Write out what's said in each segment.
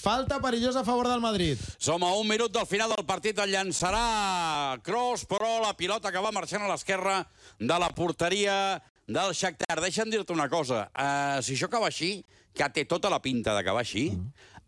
Falta perillosa a favor del Madrid. Som a un minut del final del partit. El llançarà Kroos, però la pilota que va marxant a l'esquerra de la porteria del Shakhtar. Deixa'm dir-te una cosa. Si això acaba així, que té tota la pinta d'acabar així,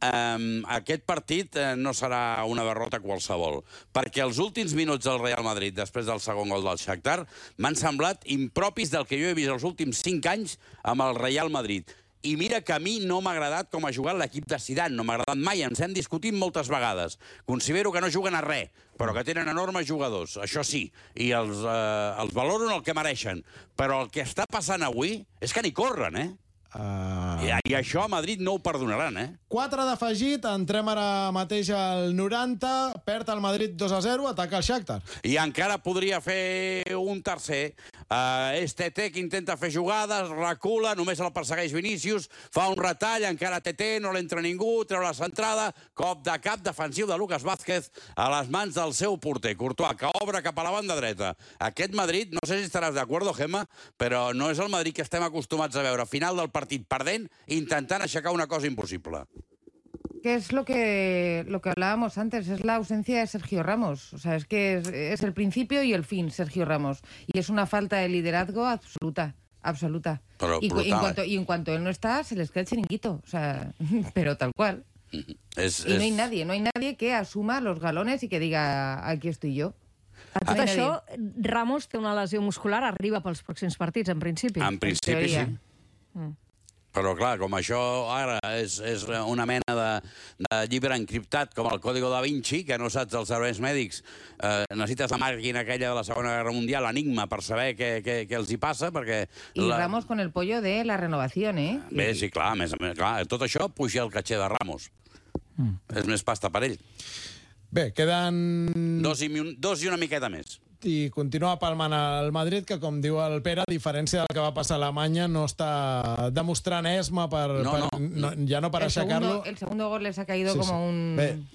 aquest partit no serà una derrota qualsevol. Perquè els últims minuts del Real Madrid, després del segon gol del Shakhtar, m'han semblat impropis del que jo he vist els últims 5 anys amb el Real Madrid. I mira que a mi no m'ha agradat com ha jugat l'equip de Zidane, no m'ha agradat mai, ens hem discutit moltes vegades. Considero que no juguen a res, però que tenen enormes jugadors, això sí, i els valoren el que mereixen. Però el que està passant avui és que ni corren, I això a Madrid no ho perdonaran, 4 d'afegit, entrem ara mateix al 90, perd el Madrid 2-0, ataca el Shakhtar. I encara podria fer un tercer. És TT que intenta fer jugades, recula, només el persegueix Vinícius, fa un retall, encara TT, no l'entra ningú, treu la centrada, cop de cap defensiu de Lucas Vázquez a les mans del seu porter, Courtois, que obre cap a la banda dreta. Aquest Madrid, no sé si estaràs d'acord, Gemma, però no és el Madrid que estem acostumats a veure. Final del partit perdent, intentant aixecar una cosa impossible. Que es lo que hablábamos antes, es la ausencia de Sergio Ramos. O sea, es que es el principio y el fin, Sergio Ramos. Y es una falta de liderazgo absoluta. Pero y en cuanto él no está, se les queda el chiringuito. O sea, pero tal cual. Y no hay nadie que asuma los galones y que diga, aquí estoy yo. A tot això, Ramos té una lesió muscular, arriba pels pròxims partits, en principi. En principi, sí. Però, clar, com això ara és una mena de llibre encriptat, com el Código da Vinci, que no saps dels serveis mèdics, necessites la màquina aquella de la Segona Guerra Mundial, l'enigma, per saber què els hi passa, perquè... I Ramos con el pollo de la renovació, Bé, sí, clar, a més, clar, tot això puja el caché de Ramos. És més pasta per ell. Bé, queden... 2 i una miqueta més. I continua palmant el Madrid, que, com diu el Pere, a diferència del que va passar a Alemanya, no està demostrant esma ja no per aixecar-lo. El segundo gol les ha caído como un...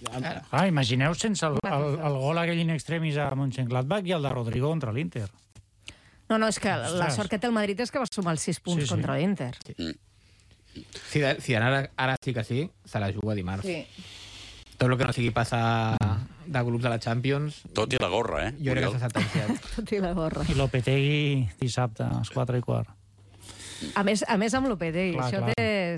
Imagineu sense el gol aquell in extremis a Mönchengladbach i el de Rodrigo contra l'Inter. No, és que la sort que té el Madrid és que va sumar els 6 punts contra l'Inter. Zidane ara sí que sí, se la juga dimarts. Sí. Tot el que no sigui passar de grups de la Champions... Tot i la gorra, Jo crec que s'ha sentenciat. Tot i la gorra. I Lopetegui dissabte, a les 4:15. A més amb Lopetegui. Això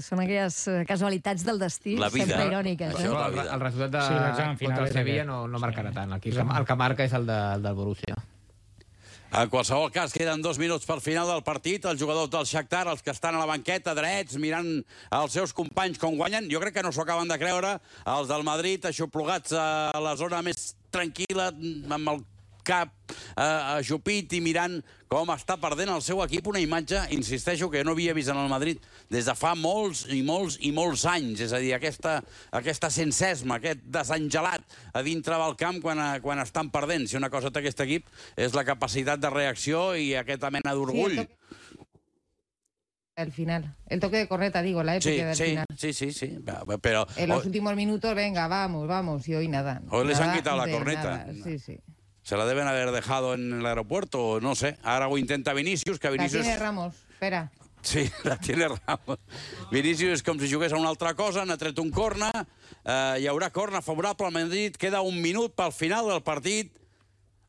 són aquelles casualitats del destí, sempre iròniques. El resultat contra el Sevilla no marcarà tant. El que marca és el del Borussia. En qualsevol cas, queden 2 minuts pel final del partit. Els jugadors del Shakhtar, els que estan a la banqueta, drets, mirant els seus companys com guanyen, jo crec que no s'ho acaben de creure. Els del Madrid, aixoplugats a la zona més tranquil·la, amb el cap ajupit i mirant com està perdent el seu equip. Una imatge, insisteixo, que no havia vist en el Madrid des de fa molts anys. És a dir, aquesta sensesma, aquest desengelat a dintre del camp quan estan perdent. Si una cosa té aquest equip és la capacitat de reacció i aquesta mena d'orgull. El final. El toque de corneta, digo, la época del final. Sí. Pero en los últimos minutos, venga, vamos, y hoy nada. Hoy les han quitado la corneta. Sí. Se la deben haber dejado en el aeropuerto, no sé. Ahora ho intenta Vinícius, que Vinícius... La tiene Ramos, espera. Sí, la tiene Ramos. Vinícius és com si jugués a una altra cosa, n'ha tret un corna, hi haurà corna favorable al Madrid, queda 1 minut pel final del partit.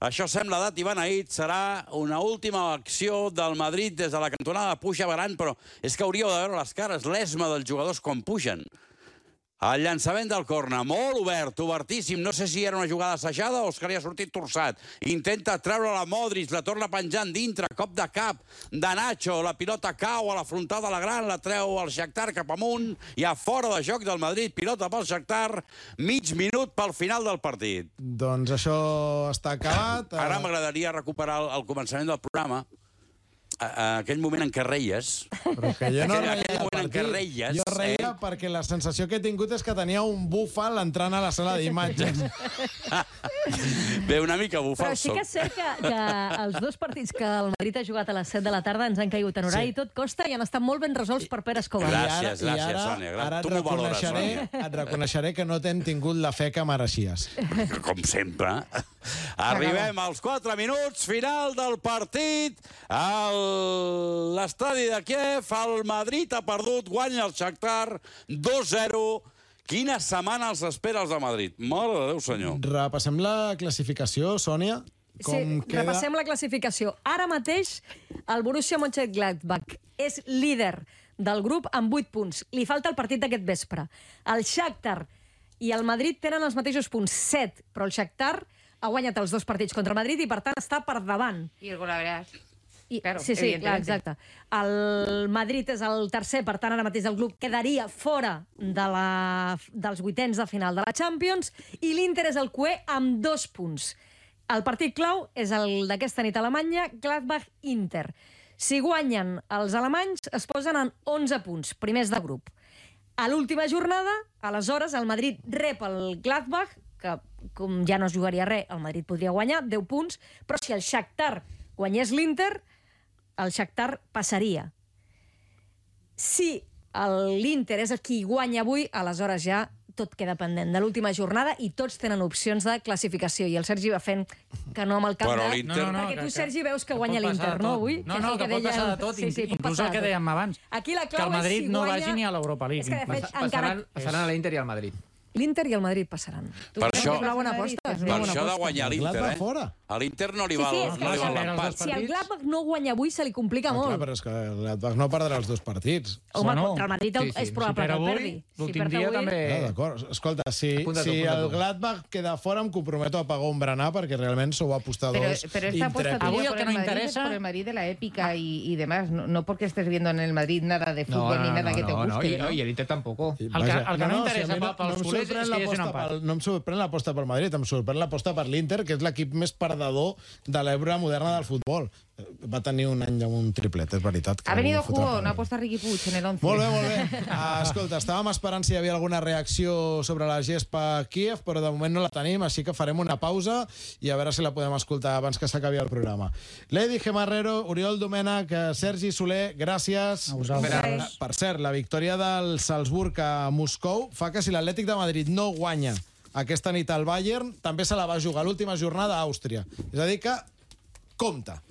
Això sembla dat i beneït, serà una última acció del Madrid des de la cantonada, puja Varane, però és que hauríeu de veure les cares, l'esma dels jugadors quan pugen. El llançament del corna, molt obert, obertíssim. No sé si era una jugada assajada o és que li ha sortit torçat. Intenta treure la Modric, la torna penjant dintre, cop de cap de Nacho. La pilota cau a la frontal de la gran, la treu el Shakhtar cap amunt i a fora de joc del Madrid. Pilota pel Shakhtar, mig minut pel final del partit. Doncs això està acabat. Ara m'agradaria recuperar el començament del programa. Aquell moment en què reies... Però que jo no reia, jo reia perquè la sensació que he tingut és que tenia un búfal entrant a la sala d'imatges. Bé, una mica búfal. Però sí que és cert que els 2 partits que el Madrid ha jugat a les 7 de la tarda ens han caigut en horari i tot costa i han estat molt ben resolts per Pere Escobar. Gràcies, Sònia. Ara et reconeixeré que no t'hem tingut la fe que mereixies. Com sempre. Arribem als 4 minuts, final del partit. L'estadi de Kiev, el Madrid ha perdut, guanya el Shakhtar 2-0. Quina setmana els espera els de Madrid? Mare de Déu, senyor. Repassem la classificació, Sònia. Repassem la classificació. Ara mateix el Borussia Mönchengladbach és líder del grup amb 8 punts. Li falta el partit d'aquest vespre. El Shakhtar i el Madrid tenen els mateixos punts, 7, però el Shakhtar ha guanyat els 2 partits contra el Madrid i, per tant, està per davant. I el Golaveras. Claro, sí, clar, exacte. El Madrid és el tercer, per tant, ara mateix el club quedaria fora dels 8ens de final de la Champions, i l'Inter és el cué amb 2 punts. El partit clau és el d'aquesta nit a Alemanya, Gladbach-Inter. Si guanyen els alemanys, es posen en 11 punts, primers de grup. A l'última jornada, aleshores, el Madrid rep el Gladbach, que com ja no es jugaria res, el Madrid podria guanyar 10 punts, però si el Shakhtar guanyés l'Inter, el Shakhtar passaria. Si l'Inter és el qui guanya avui, aleshores ja tot queda pendent de l'última jornada i tots tenen opcions de classificació. I el Sergi va fent que no amb el cap de... Perquè tu, Sergi, veus que guanya l'Inter, no, avui? No, que pot passar de tot, inclús el que dèiem abans. Que el Madrid no vagi ni a l'Europa League. Passaran a l'Inter i al Madrid. L'Inter i el Madrid passaran. Per això, és una bona aposta. per això de guanyar l'Inter, a l'Inter no li val l'empat. Si el Gladbach no guanya avui, se li complica molt. Però és que el Gladbach no perdrà els 2 partits. Home, contra el Madrid és probable que el perdi. L'últim dia també... D'acord. Escolta, si el Gladbach queda fora, em comprometo a pagar un berenar perquè realment sou apostadors intrépidos. Avui el que no interesa... por el Madrid de la épica y demás. No porque estés viendo en el Madrid nada de fútbol ni nada que te guste. Y el Inter tampoco. El que no interessa pels culers és que hi hagi un empat. No em sorprèn l'aposta pel Madrid, em sorprèn l'aposta per l'Inter, que és l'equip més perdedor de l'època moderna del futbol. Va tenir un any amb un triplet, és veritat. Ha venido jugo, no aposta Riqui Puig en el 11. Molt bé. Escolta, estàvem esperant si hi havia alguna reacció sobre la gespa Kíev, però de moment no la tenim, així que farem una pausa i a veure si la podem escoltar abans que s'acabi el programa. Lady Gemarrero, Oriol Domènech, Sergi Soler, gràcies. A vosaltres. Per cert, la victòria del Salzburg a Moscou fa que si l'Atlètic de Madrid no guanya aquesta nit al Bayern, també se la va jugar l'última jornada a Àustria. És a dir que compta.